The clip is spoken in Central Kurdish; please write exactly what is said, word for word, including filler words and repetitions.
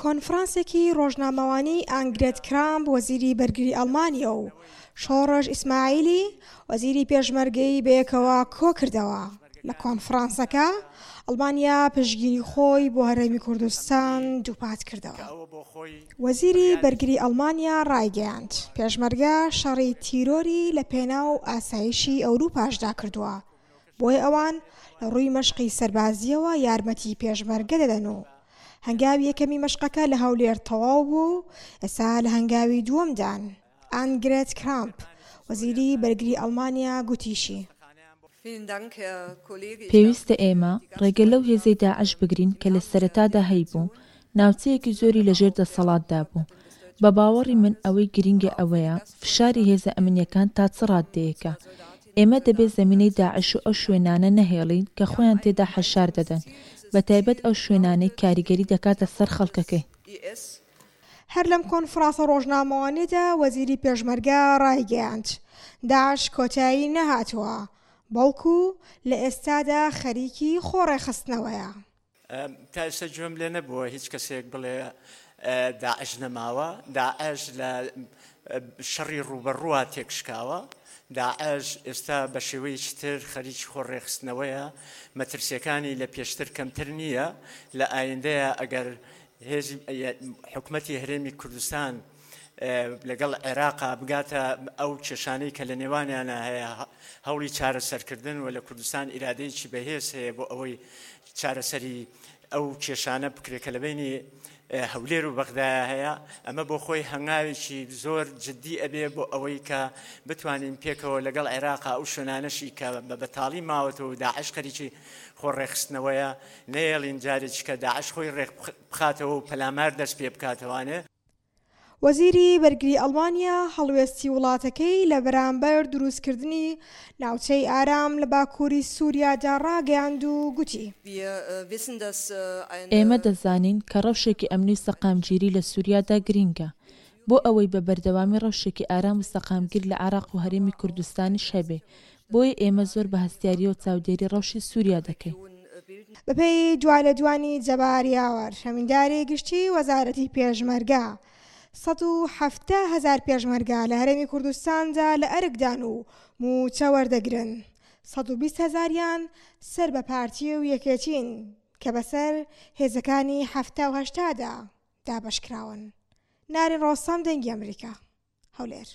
کۆنفرانسێکی ڕۆژنامەوانی ئانگرێت کرامپ وەزیری بەرگری ئەڵمانیا و شۆڕش ئیسماعیلی وەزیری پێشمەرگەی بەیەکەوە کۆکردەوە. لە کۆنفرانسەکە ئەڵمانیا پشتگیری خۆی بۆ هەرێمی کوردستان دووپات کردەوە. وەزیری بەرگری ئەڵمانیا ڕایگەیاند، پێشمەرگە شەڕی تیرۆری لە پێناو ئاسایشی ئەوروپاشدا کردووە، بۆیە ئەوان لە ڕووی مەشقی سەربازیەوە یارمەتی پێشمەرگە دەدەن و هەنگاوی یەکەمی مەشقەکە لە هەولێر تەواو بوو و ئێستا لە هەنگاوی دووەمدان. ئانگرێت کرامپ وەزیری بەرگری ئەڵمانیا گوتیشی، پێویستە ئێمە ڕێگە لەو هێزەی داعش بگرین کە لە سەرەتادا هەیبوو، ناوچەیەکی زۆری لەژێر دەسەڵاتدا بوو. بە باوەڕی من ئەوەی گرینگە ئەوەیە فشاری هێزە ئەمنییەکان تا چ ڕاددەیەکە. ئێمە دەبێ زەمینەی داعش و ئەو شوێنانە نەهێڵین کە خۆیان تێدا حەشار دەدەن، بەتایبەت ئەو شوێنانەی کاریگەری دەکاتە سەر خەڵکەکەی. هەر لەم کۆنفرانسە ڕۆژنامەوانیدا وەزیری پێشمەرگە ڕایگەیاند، داعش کۆتایی نەهاتووە، بەڵکو لە ئێستادا خەریکی خۆڕێکخستنەوەیە. تا ئێستا گوێم لێ نەبووە هیچ کەسێک بڵێ داعش نەماوە. داعش لە شەڕی ڕووبەڕووە تێکشکاوە. داعش ئێستا بە شێوەیەکی تر خەریکی خۆڕێکخستنەوەیە، مەترسیەکانی لە پێشتر کەمتر نییە. لە ئایندەیە ئەگەر هێزی حکومەتی هەرێمی کوردستان لەگەڵ عێراقا بگاتە ئەو کێشانەی کە لە نێوانیانە هەیە، هەوڵی چارەسەرکردن و لە کوردستان ئیرادەیەکی بەهێز هەیە بۆ ئەوەی چارەسەری ئەو کێشانە بکرێت کە لە بینی هەولێر و بەغدایە هەیە. ئەمە بۆ خۆی هەنگاوێکی زۆر جدی ئەبێ بۆ ئەوەی کە بتوانین پێکەوە لەگەڵ عێراقا ئەو شوێنانەشی کە بە بەتاڵی ماوەتەوە و داعش خەریکی خۆ ڕێکخستنەوەیە نەیەڵین جارێکی کە داعش خۆی ڕێک بخاتەوە و پەلامار دەست پێ بکاتەوانێ. وەزیری بەرگری ئەڵمانیا هەڵوێستی وڵاتەکەی لە بەرامبەر دروستکردنی ناوچەی ئارام لە باکووری سووریادا ڕاگەیاند و گوتی، ئێمە دەزانین کە ڕەوشێکی ئەمنی و سەقامگیری لە سووریادا گرینگە بۆ ئەوەی بە بەردەوامی ڕەوشێکی ئارام و سەقامگیر لە عێراق و هەرێمی کوردستانیش هەبێ، بۆیە ئێمە زۆر بە هەستیارییەوە چاودێری ڕەوشی سووریا دەکەین. بەپێی دوالێدوانی جەبار یاوەر، ئەمینداری گشتی وەزارەتی پێشمەرگە، سەد و حەفتا هەزار پێشمەرگە لە هەرێمی کوردستاندا لە ئەرکدان و مووچە وەردەگرن، سەد و بیست هەزاریان سەر بە پارتی و یەکێتین کە بەسەر هێزەکانی حەفتا و هەشتادا دابەشکراون. نارین ڕۆستەم، دەنگی ئەمریکا، هەولێر.